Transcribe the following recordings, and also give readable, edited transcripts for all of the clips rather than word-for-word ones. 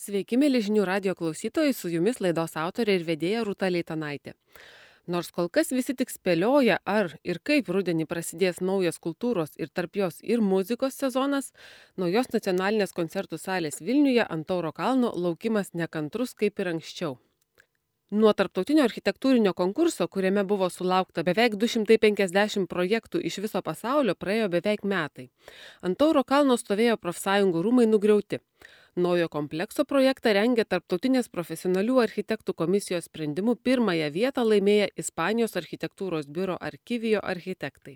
Sveiki, mėly žinių radijo klausytojai, su jumis laidos autorė ir vedėja Rūta Leitanaitė. Nors kol kas visi tik spėlioja, ar ir kaip rudenį prasidės naujas kultūros ir tarp jos ir muzikos sezonas, naujos nacionalinės koncertų salės Vilniuje ant Tauro kalno laukimas nekantrus kaip ir anksčiau. Nuo tarptautinio architektūrinio konkurso, kuriame buvo sulaukta beveik 250 projektų iš viso pasaulio, praėjo beveik metai. Ant Tauro kalno stovėjo profsąjungų rūmai nugriauti. Naujo komplekso projektą rengė Tarptautinės profesionalių architektų komisijos sprendimu pirmąją vietą laimėję Ispanijos architektūros biuro Arkivijo architektai.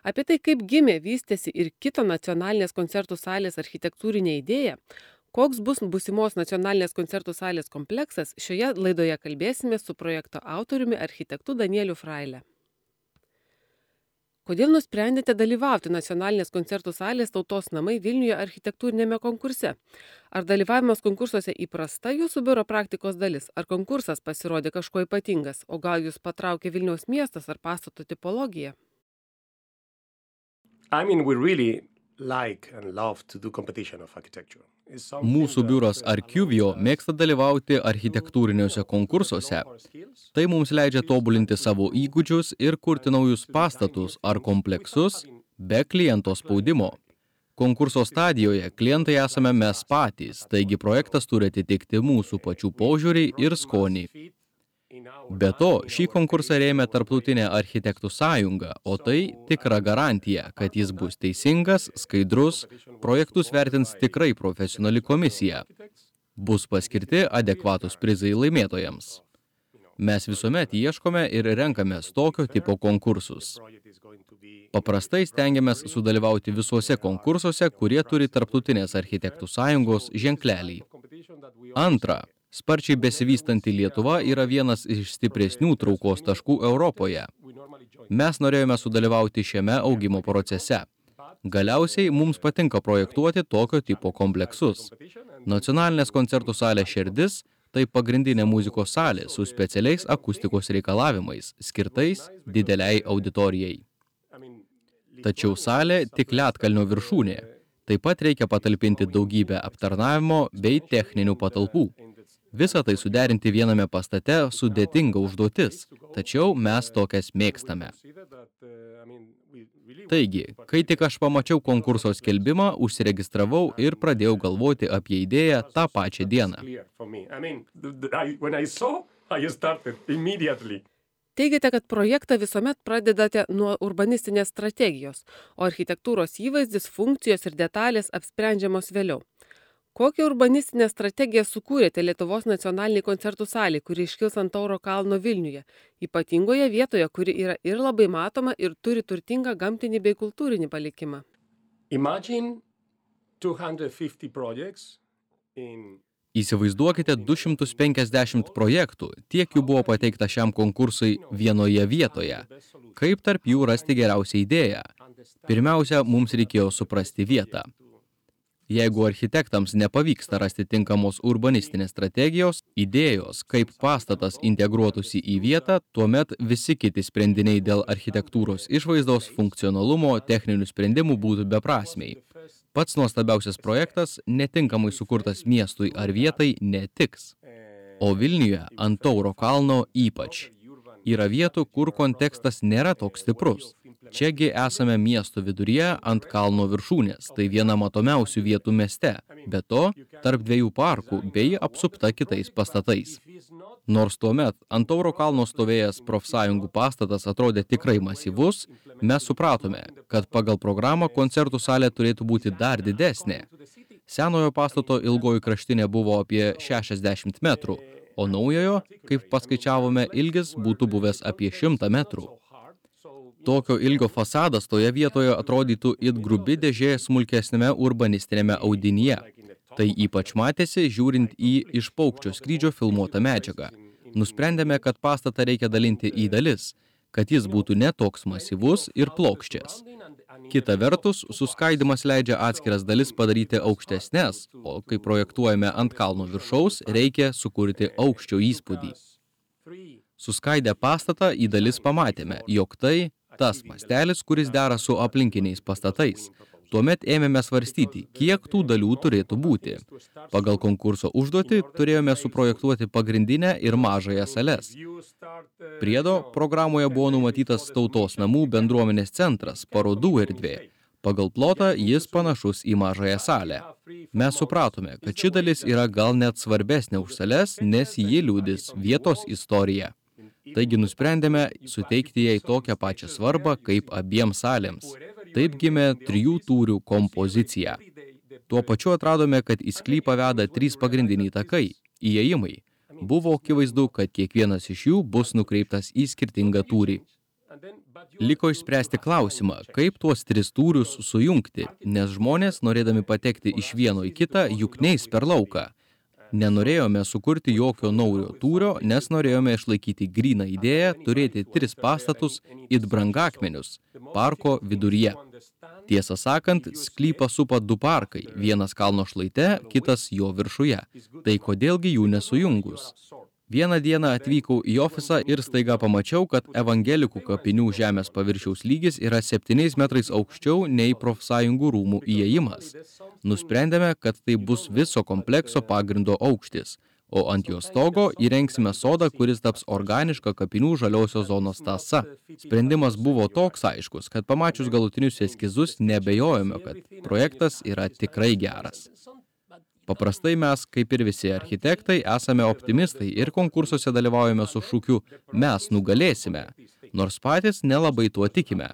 Apie tai, kaip gimė, vystėsi ir kito nacionalinės koncertų salės architektūrinė idėja, koks bus būsimos nacionalinės koncertų salės kompleksas, šioje laidoje kalbėsime su projekto autoriumi architektu Danieliu Fraile. Kodėl nusprendėte dalyvauti nacionalinės koncertų salės Tautos namai Vilniuje architektūrinėme konkurse? Ar dalyvavimas konkursuose įprasta jūsų biuro praktikos dalis? Ar konkursas pasirodė kažkuo ypatingas? O gal jūs patraukė Vilniaus miestas ar pastato tipologija? We really like and love to do competition of architecture. Mūsų biuras Arkivijo mėgsta dalyvauti architektūriniuose konkursuose. Tai mums leidžia tobulinti savo įgūdžius ir kurti naujus pastatus ar kompleksus be kliento spaudimo. Konkurso stadijoje klientai esame mes patys, taigi projektas turi atitikti mūsų pačių požiūrį ir skonį. Be to, šį konkursą rėmė Tarptautinė architektų sąjunga, o tai tikra garantija, kad jis bus teisingas, skaidrus, projektus vertins tikrai profesionali komisija. Bus paskirti adekvatus prizai laimėtojams. Mes visuomet ieškome ir renkamės tokio tipo konkursus. Paprastai stengiamės sudalyvauti visuose konkursuose, kurie turi Tarptautinės architektų sąjungos ženklelį. Antra, sparčiai besivystanti Lietuva yra vienas iš stipresnių traukos taškų Europoje. Mes norėjome sudalyvauti šiame augimo procese. Galiausiai mums patinka projektuoti tokio tipo kompleksus. Nacionalinės koncertų salės širdis – tai pagrindinė muzikos salė su specialiais akustikos reikalavimais, skirtais dideliai auditorijai. Tačiau salė tik ledkalnio viršūnė. Taip pat reikia patalpinti daugybę aptarnavimo bei techninių patalpų. Visą tai suderinti viename pastate sudėtinga užduotis, tačiau mes tokias mėgstame. Taigi, kai tik aš pamačiau konkurso skelbimą, užsiregistravau ir pradėjau galvoti apie idėją tą pačią dieną. Teigiate, kad projektą visuomet pradedate nuo urbanistinės strategijos, o architektūros įvaizdis, funkcijos ir detalės apsprendžiamos vėliau. Kokią urbanistinę strategiją sukūrėte Lietuvos nacionaliniai koncertų salei, kuri iškils ant Tauro kalno Vilniuje, ypatingoje vietoje, kuri yra ir labai matoma ir turi turtingą gamtinį bei kultūrinį palikimą? Įsivaizduokite 250 projektų, tiek jų buvo pateikta šiam konkursui vienoje vietoje. Kaip tarp jų rasti geriausią idėją? Pirmiausia, mums reikėjo suprasti vietą. Jeigu architektams nepavyksta rasti tinkamos urbanistinės strategijos, idėjos, kaip pastatas integruotųsi į vietą, tuomet visi kiti sprendiniai dėl architektūros išvaizdos, funkcionalumo, techninių sprendimų būtų beprasmiai. Pats nuostabiausias projektas, netinkamai sukurtas miestui ar vietai, netiks. O Vilniuje ant Tauro kalno ypač. Yra vietų, kur kontekstas nėra toks stiprus. Čiagi esame miesto viduryje ant kalno viršūnės, tai viena matomiausių vietų mieste, be to tarp dviejų parkų bei apsupta kitais pastatais. Nors tuomet ant Tauro kalno stovėjęs profsąjungų pastatas atrodė tikrai masyvus, mes supratome, kad pagal programą koncertų salė turėtų būti dar didesnė. Senojo pastato ilgoji kraštinė buvo apie 60 metrų, o naujojo, kaip paskaičiavome, ilgis būtų buvęs apie 100 metrų. Tokio ilgio fasadas toje vietoje atrodytų it grubi dėžė smulkesnėme urbanistinėme audinyje. Tai ypač matėsi, žiūrint į iš paukščio skrydžio filmuotą medžiagą. Nusprendėme, kad pastatą reikia dalinti į dalis, kad jis būtų ne toks masyvus ir plokščias. Kita vertus, suskaidimas leidžia atskiras dalis padaryti aukštesnes, o kai projektuojame ant kalno viršaus, reikia sukurti aukščio įspūdį. Suskaidę pastatą į dalis pamatėme, jog tai tas mastelis, kuris dera su aplinkiniais pastatais. Tuomet ėmėme svarstyti, kiek tų dalių turėtų būti. Pagal konkurso užduotį turėjome suprojektuoti pagrindinę ir mažąją sales. Priedo programoje buvo numatytas tautos namų bendruomenės centras, parodų erdvė. Pagal plotą jis panašus į mažąją salę. Mes supratome, kad ši dalis yra gal net svarbesnė už sales, nes ji liudys vietos istoriją. Taigi nusprendėme suteikti jai tokią pačią svarbą kaip abiems salėms. Taip gimė 3 tūrių kompozicija. Tuo pačiu atradome, kad į sklypą veda 3 pagrindiniai takai – įėjimai. Buvo akivaizdu, kad kiekvienas iš jų bus nukreiptas į skirtingą tūrį. Liko išspręsti klausimą, kaip tuos 3 tūrius sujungti, nes žmonės, norėdami patekti iš vieno į kitą, juk neis per lauką. Nenorėjome sukurti jokio naujo tūrio, nes norėjome išlaikyti gryną idėją turėti 3 pastatus it brangakmenius parko viduryje. Tiesą sakant, sklypą supa 2 parkai, vienas kalno šlaite, kitas jo viršuje. Tai kodėlgi jų nesujungus? Vieną dieną atvykau į ofisą ir staiga pamačiau, kad evangelikų kapinių žemės paviršiaus lygis yra 7 metrais aukščiau nei profsąjungų rūmų įėjimas. Nusprendėme, kad tai bus viso komplekso pagrindo aukštis, o ant jo stogo įrengsime sodą, kuris taps organiška kapinių žaliosios zonos tąsa. Sprendimas buvo toks aiškus, kad pamačius galutinius eskizus nebejojome, kad projektas yra tikrai geras. Paprastai mes, kaip ir visi architektai, esame optimistai ir konkursuose dalyvaujame su šūkiu «Mes nugalėsime», nors patys nelabai tuo tikime.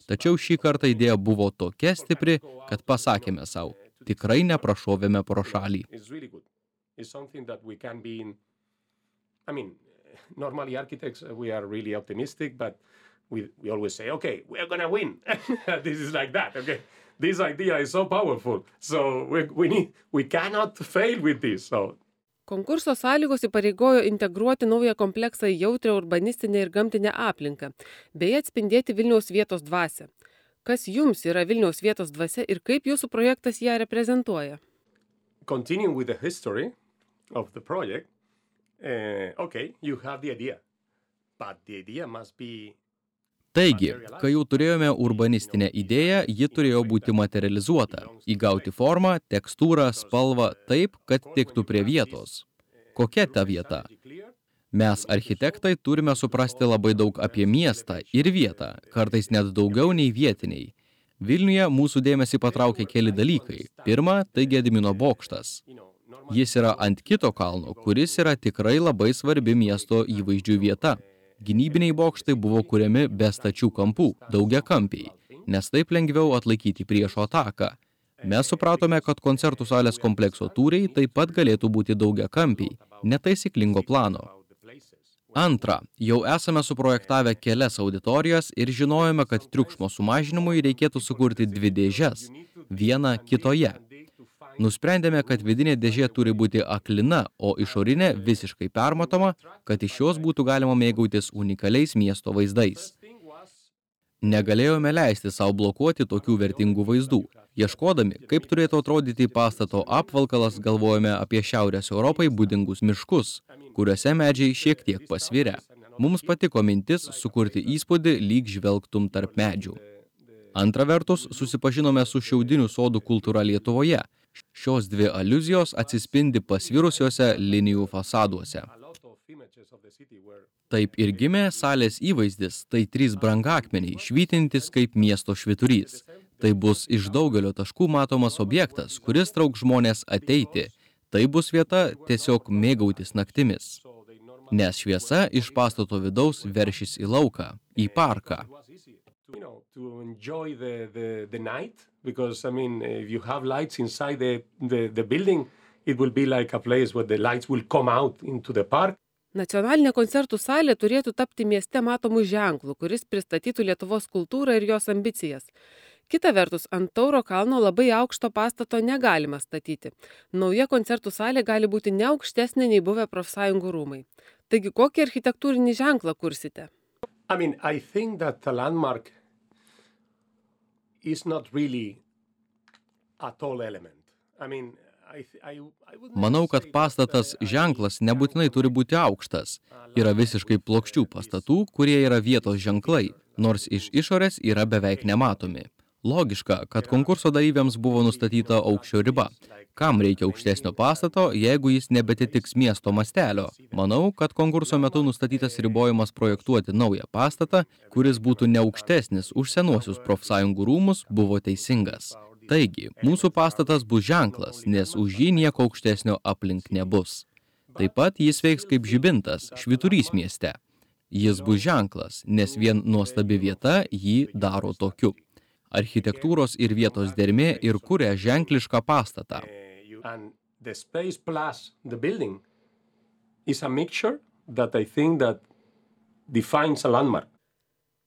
Tačiau šį kartą idėja buvo tokia stipri, kad pasakėme sau, tikrai neprašovėme pro šalį. Normally architects, we are really optimistic, but we always say, okay, we're gonna win. This is like that, okay? This idea is so powerful, so we cannot fail with this. So. Konkurso sąlygos įpareigojo integruoti naują kompleksą į jautrią urbanistinę ir gamtinę aplinką, bei atspindėti Vilniaus vietos dvasią. Kas jums yra Vilniaus vietos dvasia ir kaip jūsų projektas ją reprezentuoja? Continuing with the history of the project, okay, you have the idea, but the idea must be... Taigi, kai jau turėjome urbanistinę idėją, ji turėjo būti materializuota, įgauti formą, tekstūrą, spalvą taip, kad tiktų prie vietos. Kokia ta vieta? Mes, architektai, turime suprasti labai daug apie miestą ir vietą, kartais net daugiau nei vietiniai. Vilniuje mūsų dėmesį patraukė keli dalykai. Pirma, tai Gedimino bokštas. Jis yra ant kito kalno, kuris yra tikrai labai svarbi miesto įvaizdžių vieta. Gynybiniai bokštai buvo kuriami be stačių kampų, daugiakampiai, nes taip lengviau atlaikyti priešo ataką. Mes supratome, kad koncertų salės komplekso tūriai taip pat galėtų būti daugiakampiai, netaisyklingo plano. Antra, jau esame suprojektavę kelias auditorijas ir žinojome, kad triukšmo sumažinimui reikėtų sukurti 2 dėžes, vieną kitoje. Nusprendėme, kad vidinė dėžė turi būti aklina, o išorinė visiškai permatoma, kad iš jos būtų galima mėgautis unikaliais miesto vaizdais. Negalėjome leisti savo blokuoti tokių vertingų vaizdų. Ieškodami, kaip turėtų atrodyti pastato apvalkalas, galvojame apie Šiaurės Europai būdingus miškus, kuriuose medžiai šiek tiek pasvirę. Mums patiko mintis sukurti įspūdį, lyg žvelgtum tarp medžių. Antra vertus, susipažinome su šiaudinių sodų kultūra Lietuvoje. Šios 2 aliuzijos atsispindi pasvirusiuose linijų fasaduose. Taip ir gimė salės įvaizdis, tai 3 brangakmeniai, švytintis kaip miesto švyturys. Tai bus iš daugelio taškų matomas objektas, kuris trauks žmonės ateiti. Tai bus vieta tiesiog mėgautis naktimis. Nes šviesa iš pastato vidaus veršis į lauką, į parką. To enjoy the night, because, I mean, if you have lights inside the building, it will be like a place where the lights will come out into the park. Nacionalinė koncertų salė turėtų tapti mieste matomų ženklų, kuris pristatytų Lietuvos kultūrą ir jos ambicijas. Kita vertus, ant Tauro kalno labai aukšto pastato negalima statyti. Nauja koncertų salė gali būti ne aukštesnė nei buvę profsąjungų rūmai. Taigi, kokį architektūrinį ženklą kursite? I mean, I think that the landmark is not really a tall element. I mean, Manau, kad pastatas ženklas nebūtinai turi būti aukštas. Yra visiškai plokščių pastatų, kurie yra vietos ženklai, nors iš išorės yra beveik nematomi. Logiška, kad konkurso dalyviams buvo nustatyta aukščio riba. Kam reikia aukštesnio pastato, jeigu jis nebetitiks miesto mastelio? Manau, kad konkurso metu nustatytas ribojimas projektuoti naują pastatą, kuris būtų ne aukštesnis už senuosius profsąjungų rūmus, buvo teisingas. Taigi, mūsų pastatas bus ženklas, nes už jį nieko aukštesnio aplink nebus. Taip pat jis veiks kaip žibintas, švyturys mieste. Jis bus ženklas, nes vien nuostabi vieta jį daro tokiu. Architektūros ir vietos dermė ir kuria ženklišką pastatą. And the space plus the building is a mixture that I think that defines a landmark.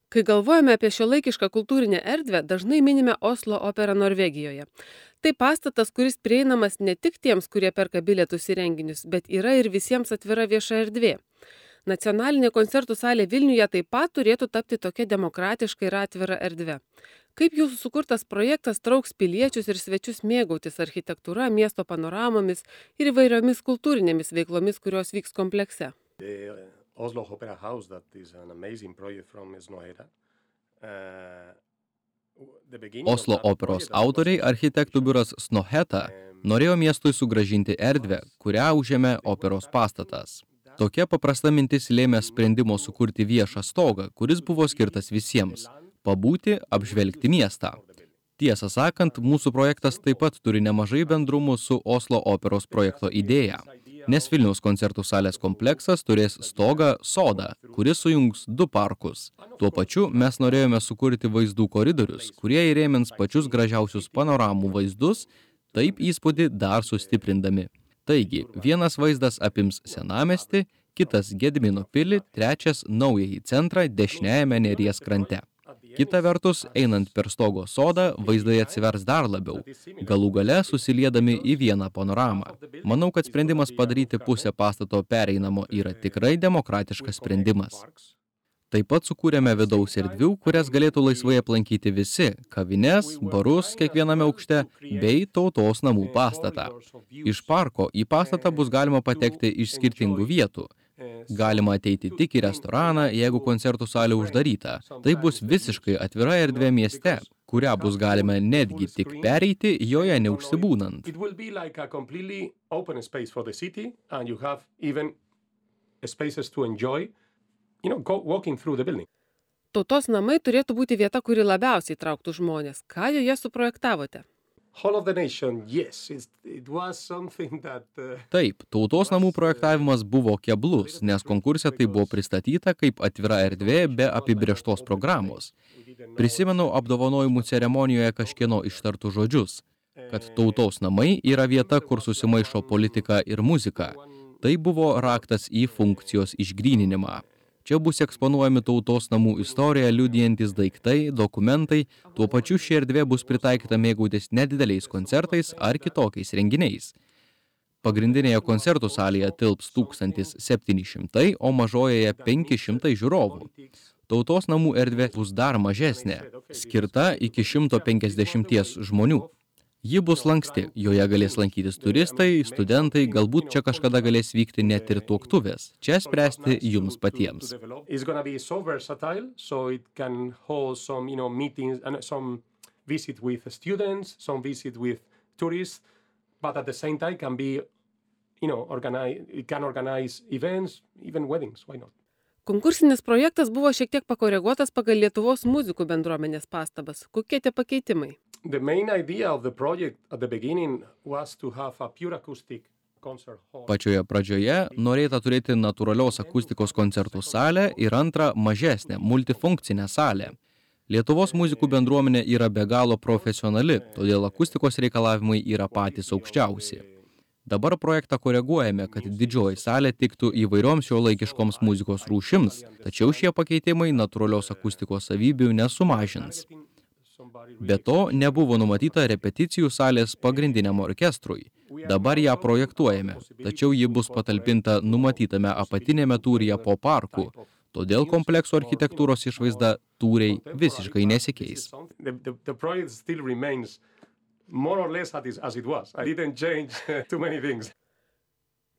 Kai galvojame apie šiuolaikišką kultūrinę erdvę, dažnai minime Oslo operą Norvegijoje. Tai pastatas, kuris prieinamas ne tik tiems, kurie perka bilietus į renginius, bet yra ir visiems atvira vieša erdvė. Nacionalinė koncertų salė Vilniuje taip pat turėtų tapti tokia demokratiška ir atvira erdve. Kaip jūsų sukurtas projektas trauks piliečius ir svečius mėgautis architektūra, miesto panoramomis ir įvairiomis kultūrinėmis veiklomis, kurios vyks komplekse? The Oslo Opera House, that is an amazing project from Snohætta. Oslo operos autoriai, architektų biuras Snohætta, norėjo miestui sugrąžinti erdvę, kurią užėmė operos pastatas. Tokia paprasta mintis lėmė sprendimo sukurti viešą stogą, kuris buvo skirtas visiems – pabūti, apžvelgti miestą. Tiesą sakant, mūsų projektas taip pat turi nemažai bendrumų su Oslo operos projekto idėja, nes Vilniaus koncertų salės kompleksas turės stogą sodą, kuris sujungs du parkus. Tuo pačiu mes norėjome sukurti vaizdų koridorius, kurie įrėmins pačius gražiausius panoramų vaizdus, taip įspūdį dar sustiprindami. Taigi, vienas vaizdas apims Senamiestį, kitas Gedimino pilį, trečias naująjį centrą dešiniajame Neries krante. Kita vertus, einant per stogo sodą, vaizdai atsivers dar labiau, galų gale susiliedami į vieną panoramą. Manau, kad sprendimas padaryti pusę pastato pereinamo yra tikrai demokratiškas sprendimas. Taip pat sukūrėme vidaus erdvių, kurias galėtų laisvai aplankyti visi – kavines, barus kiekviename aukšte bei tautos namų pastatą. Iš parko į pastatą bus galima patekti iš skirtingų vietų. Galima ateiti tik į restoraną, jeigu koncertų salė uždaryta. Tai bus visiškai atvira erdvė mieste, kurią bus galima netgi tik pereiti, joje neužsibūnant. It will be like a completely open space for the city, and you have even spaces to enjoy, walking through the building. Tautos namai turėtų būti vieta, kuri labiausiai trauktų žmonės. Ką joje suprojektavote? Hall of the Nation, yes, it was something that... Taip, tautos namų projektavimas buvo keblus, nes konkurse tai buvo pristatyta kaip atvira erdvė be apibrėžtos programos. Prisimenu apdovanojimų ceremonijoje kažkieno ištartų žodžius, kad tautos namai yra vieta, kur susimaišo politika ir muzika. Tai buvo raktas į funkcijos išgryninimą. Čia bus eksponuojami tautos namų istoriją liudijantis daiktai, dokumentai, tuo pačiu ši erdvė bus pritaikyta mėgautis nedideliais koncertais ar kitokiais renginiais. Pagrindinėje koncertų salėje tilps 1700, o mažojoje 500 žiūrovų. Tautos namų erdvė bus dar mažesnė, skirta iki 150 žmonių. Ji bus lanksti, joje galės lankytis turistai, studentai, galbūt čia kažkada galės vykti net ir tuoktuvės. Čia spręsti jums patiems. It's going to be so versatile, so it can hold some, meetings and some visit with students, some visit with tourists, but at the same time can be, it can organize events, even weddings, why not? Konkursinis projektas buvo šiek tiek pakoreguotas pagal Lietuvos muzikų bendruomenės pastabas. Kokie tie pakeitimai? The main idea of the project at the beginning was to have a pure acoustic concert hall. Pačioje pradžioje norėta turėti natūralios akustikos koncertų salę ir antrą mažesnę, multifunkcinę salę. Lietuvos muzikų bendruomenė yra be galo profesionali, todėl akustikos reikalavimai yra patys aukščiausi. Dabar projektą koreguojame, kad didžioji salė tiktų įvairioms šiuolaikiškoms muzikos rūšims, tačiau šie pakeitimai natūralios akustikos savybių nesumažins. Be to, nebuvo numatyta repeticijų salės pagrindiniam orkestrui. Dabar ją projektuojame, tačiau ji bus patalpinta numatytame apatinėme tūryje po parku, todėl komplekso architektūros išvaizda tūriai visiškai nesikeis. The project still remains more or less as it was. I didn't change too many things.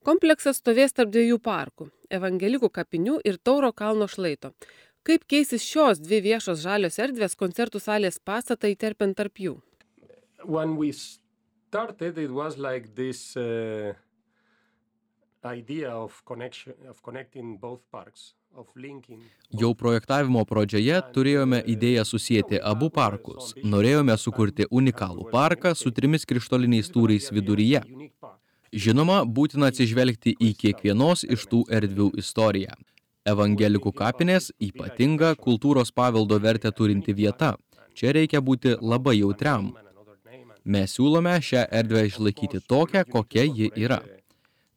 Kompleksas stovės tarp dviejų parkų – Evangelikų kapinių ir Tauro kalno šlaito. Kaip keisis šios dvi viešos žalios erdvės koncertų salės pastatą įterpiant tarp jų? When we started, it was like this idea of connecting both parks, of linking. Jau projektavimo pradžioje turėjome idėją susijęti abu parkus. Norėjome sukurti unikalų parką su 3 krištoliniais tūriais viduryje. Žinoma, būtina atsižvelgti į kiekvienos iš tų erdvių istoriją. Evangelikų kapinės ypatinga kultūros paveldo vertę turinti vieta. Čia reikia būti labai jautriam. Mes siūlome šią erdvę išlaikyti tokią, kokia ji yra.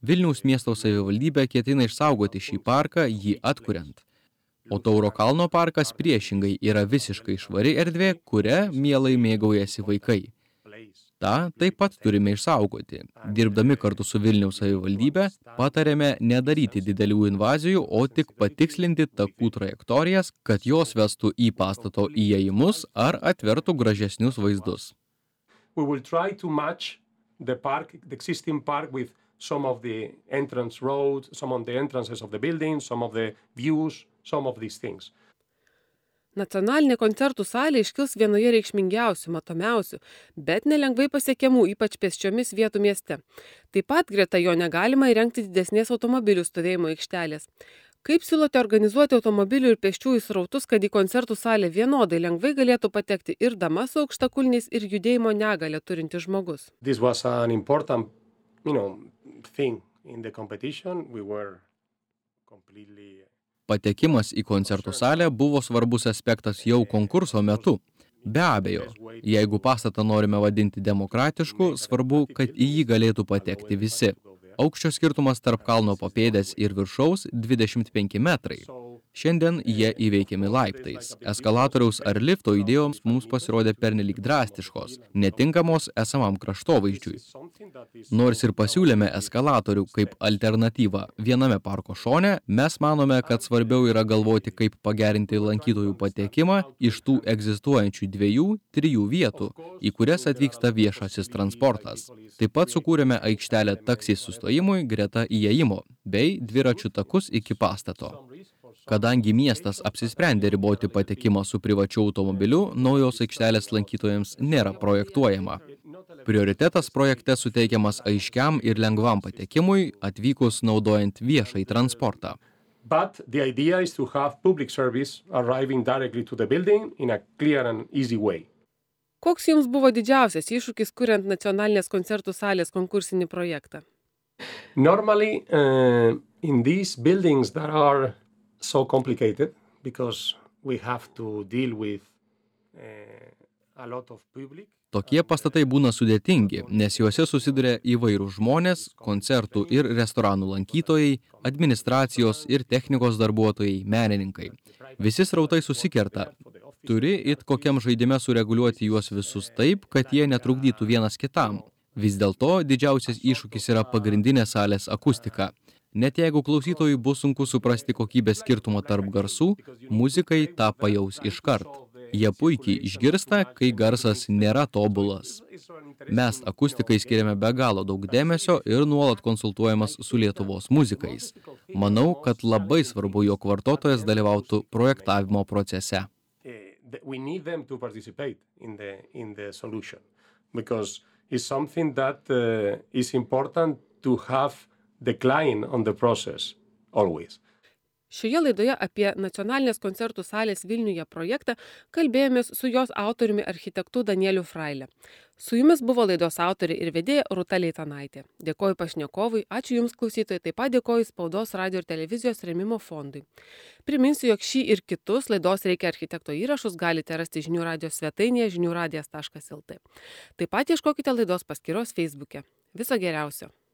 Vilniaus miesto savivaldybė ketina išsaugoti šį parką, jį atkuriant. O Tauro kalno parkas priešingai yra visiškai švari erdvė, kuria mielai mėgaujasi vaikai. Ta taip pat turime išsaugoti. Dirbdami kartu su Vilniaus savivaldybė, patarėme nedaryti didelių invazijų, o tik patikslinti takų trajektorijas, kad jos vestų į pastato įėjimus ar atvertų gražesnius vaizdus. We will try to match the park, the existing park with some of the entrance roads, some of the entrances of the buildings, some of the views, some of these things. Nacionalinė koncertų salė iškils vienoje reikšmingiausių, matomiausių, bet nelengvai pasiekiamų, ypač pėsčiomis vietų mieste. Taip pat greta jo negalima įrengti didesnės automobilių stovėjimo aikštelės. Kaip siūlote organizuoti automobilių ir pėsčiųjų srautus, kad į koncertų salę vienodai lengvai galėtų patekti ir dama su aukštakulniais, ir judėjimo negalią turintis žmogus? This was an important, thing in the competition. We were completely. Patekimas į koncertų salę buvo svarbus aspektas jau konkurso metu. Be abejo, jeigu pastatą norime vadinti demokratišku, svarbu, kad į jį galėtų patekti visi. Aukščio skirtumas tarp kalno papėdės ir viršaus 25 metrai. Šiandien jie įveikiami laiptais. Eskalatoriaus ar lifto idėjoms mums pasirodė pernelyg drastiškos, netinkamos esamam kraštovaizdžiui. Nors ir pasiūlėme eskalatorių kaip alternatyvą viename parko šone, mes manome, kad svarbiau yra galvoti, kaip pagerinti lankytojų patekimą iš tų egzistuojančių 2-3 vietų, į kurias atvyksta viešasis transportas. Taip pat sukūrėme aikštelę taksi sustojimui greta įėjimo, bei dviračių takus iki pastato. Kadangi miestas apsisprendė riboti patekimą su privačiu automobiliu, naujos aikštelės lankytojams nėra projektuojama. Prioritetas projekte suteikiamas aiškiam ir lengvam patekimui, atvykus naudojant viešąjį transportą. But the idea is to have public service arriving directly to the building in a clear and easy way. Koks jums buvo didžiausias iššūkis, kuriant nacionalinės koncertų salės konkursinį projektą? Normally, in these buildings that are so complicated because we have to deal with a lot of public. Tokie pastatai būna sudėtingi, nes juose susiduria įvairūs žmonės, koncertų ir restoranų lankytojai, administracijos ir technikos darbuotojai, menininkai. Visi srautai susikerta. Turi it kokiam žaidime sureguliuoti juos visus taip, kad jie netrukdytų vienas kitam. Vis dėlto didžiausias iššūkis yra pagrindinė salės akustika. Net jeigu klausytojui bus sunku suprasti kokybės skirtumą tarp garsų, muzikai tą pajaus iškart. Jie puikiai išgirsta, kai garsas nėra tobulas. Mes akustikai skiriame be galo daug dėmesio ir nuolat konsultuojamas su Lietuvos muzikais. Manau, kad labai svarbu, jog vartotojas dalyvautų projektavimo procese. We need them to participate in the solution because it's something that is important to have the client on the process, always. Šioje laidoje apie nacionalinės koncertų salės Vilniuje projektą kalbėjomės su jos autoriumi architektu Danieliu Fraile. Su jumis buvo laidos autorė ir vedėja Rūta Leitanaitė. Dėkoju pašnekovui, ačiū jums klausytojai, taip pat dėkoju Spaudos, radio ir televizijos rėmimo fondui. Priminsiu, jog šį ir kitus laidos Reikia architekto įrašus galite rasti žinių radijos svetainėje žiniųradijas.lt. Taip pat ieškokite laidos paskyros Facebook'e. Viso geriausio.